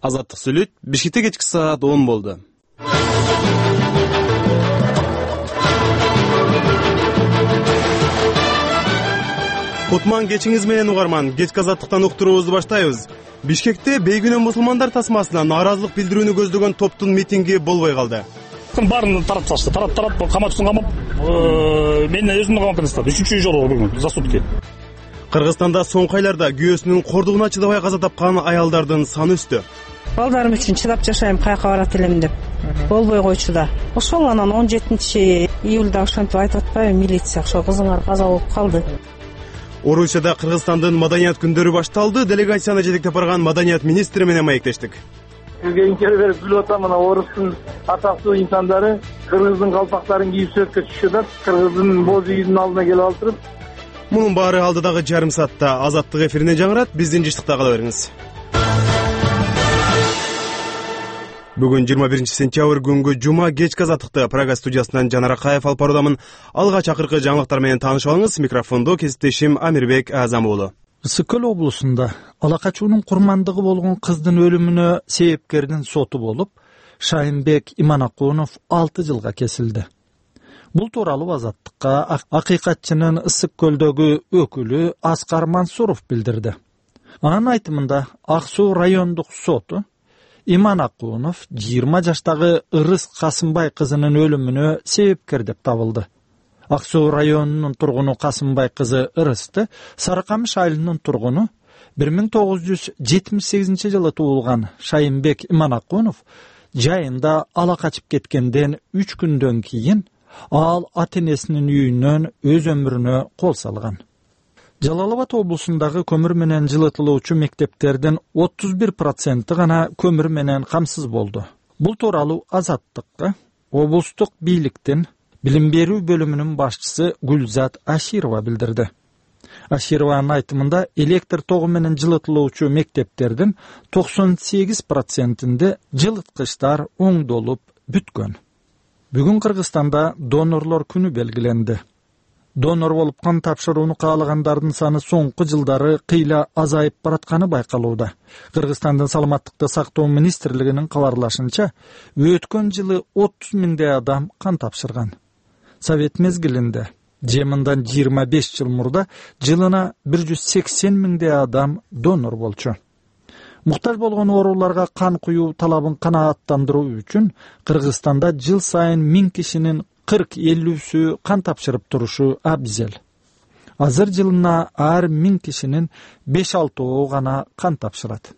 Азаттык сүйлөйт. Бишкекте кечки саат 10 болду. Кутман кечиңиз менен угарман. Кечки азаттыктан уктуруубузду баштайбыз. Бишкекте бейгүнөө мусулмандар тасмасына нааразылык билдирүүнү көздөгөн топтун митинги болбой калды. Баарын тарап салышты. Тарап камачысын камап, мен өзүмдү камап кетти. 3-чү жолу бүгүн за сутки. Кыргызстанда соңку айларда күйөөсүнүн кордугуна чыдабай каза тапкан аялдардын саны өстү. Балдарым үчүн чыдап жашайм, каяка барат элем деп болбой койчу да. Ошол анан 17-июлда ошентип айтып атпайбы, милиция ошо кызыңар каза болуп калды. Орусияда Кыргызстандын маданият күндөрү башталды. Делегацияны жетектеп барган маданият министри менен маектештик. Кийинкери берип билип атам, мына Орустун атактуу инсандары кыргыздын калпактарын кийип сүрөткө түшүшөт, кыргыздын боз үйүнүн алдына келип олтуруп. Мунун баары алдыдагы жарым саатта Азаттык эфиринен жаңырат. Биздин жыштыкта кала бериңиз. Бүгүн 21 сентябрь күнгү жума кечки азаттыкты Прага студиясынан Жанар Акаев алып баруудамын. Алгач акыркы жаңылыктар менен таанышып алыңыз. Микрофондо кесиптешим Амирбек Азам уулу. Ысык көл облусунда ала качуунун курмандыгы болгон кыздын өлүмүнө себепкердин соту болуп, Шайынбек Иманакунов 6 жылга кесилди. Бул тууралуу Азаттыкка акыйкатчынын Ысык көлдөгү өкүлү Аскар Мансуров билдирди. Анын айтымында Ак Суу райондук соту Иманакунов 20 жаштагы Ырыс Касымбай кызынын өлүмүнө себепкер деп табылды. Ак Суу районунун тургуну Касымбай кызы Ырысты Сарыкамыш айылынын тургуну 1978 жылы туулган Шайынбек Иманакунов жайында ала качып кеткенден 3 күндөн кийин ал ата-энесинин үйүнөн өз өмүрүнө кол салган. Жалал Абад облусундагы көмүр менен жылытылуучу мектептердин 31% гана көмүр менен камсыз болду. Бул тууралуу Азаттыкка облустук бийликтин билим берүү бөлүмүнүн башчысы Гүлзат Аширова билдирди. Ашированын айтымында электр тогу менен жылытылуучу мектептердин 98%-inde жылыткычтар оңдолуп бүткөн. Бүгүн Кыргызстанда донорлор күнү белгиленди. Донор болуп кан тапшырууну каалагандардын саны соңку жылдары кыйла азайып баратканы байкалууда. Кыргызстандын саламаттыкты сактоо министрлигинин кабарлашынча, өткөн жылы 30 миңдей адам кан тапшырган. Совет мезгилинде, жеминдан 25 жыл мурда жылына 180 миңдей адам донор болчу. Муктаж болгон ооруларга кан куюу талабын канааттандыруу үчүн Кыргызстанда жыл сайын 1000 кишинин 40-50-сү кан тапшырып турушу абзел. Азыр жылына ар 1000 кишинин 5-6 гана кан тапшырат.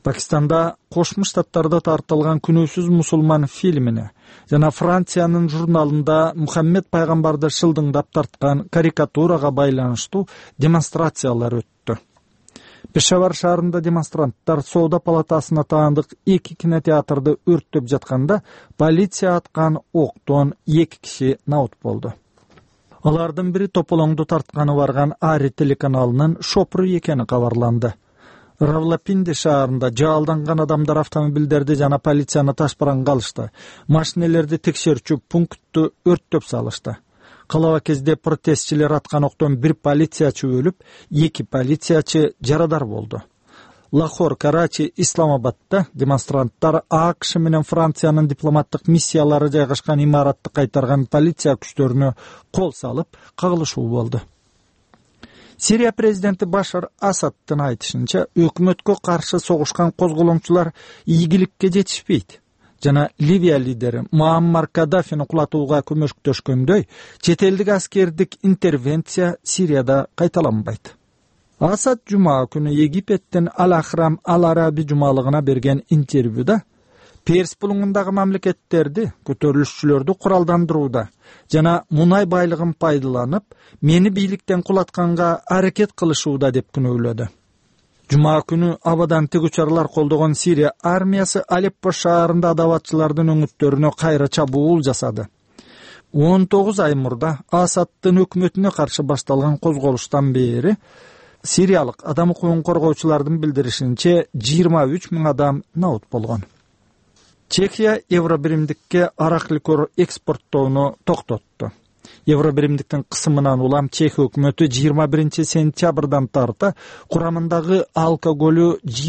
Пакистанда Кошмо Штаттарда тартылган Күнөөсүз мусулман фильмине жана Франциянын журналында Мухаммед пайгамбарды шылдыңдап тарткан карикатурага байланыштуу демонстрациялар өттү. Пешавар шаарында демонстранттар Соода палатасына таандык 2 кинотеатрды өрттөп жатканда полиция аткан октон 2 киши наут болду. Алардын бири тополоңду тартканы барган Ари телеканалынын шопуру экени кабарланды. Равлапинди шаарында жаалданган адамдар автомобилдерди жана полицияны ташпаранга алышты. Машинелерди текшерүүчү пунктту өрттөп салышты. Калаба кезде протестчилер аткан октон 1 полициячы өлүп, 2 полициячы жарадар болду. Лахор, Карачи, Исламабадда демонстранттар АКШ менен Франциянын дипломаттык миссиялары жайгашкан имаратты кайтарган полиция күчтөрүнө кол салып, кагылышуу болду. Сирия президенти Башар Асадтын айтышынча, өкмөткө каршы согушкан козголоңчулар ийгиликке жетишпейт. Жана Ливия лидери Муаммар Каддафини кулатууга көмөктөшкөндөй, чет элдик аскердик интервенция Сирияда кайталанбайт. Асад жума күнү Египеттин Ал-Ахрам Ал-Араби жумалыгына берген интервьюда Перс булуңундагы мамлекеттерди, көтөрүлүшчүлөрдү куралдандырууда жана мунай байлыгын пайдаланып, мени бийликтен кулатканга аракет кылышууда деп күнөөлөдү. Жума күнү абадан тигучарлар колдогон Сирия армиясы Алеппо шаарында адабатчылардын өңүттөрүнө кайра чабуул жасады. 19 ай мурда Асадтын өкмөтүнө каршы башталган козголуштан бери сириялык адам укугун коргоочулардын билдиришинче 23 миң адам наут болгон. Чехия евробиримдикке арак ликер экспорттоону токтотту. Евробиримдиктин кысымынан улам Чехия өкмөтү 21 сентябрдан тарта курамындагы алкоголю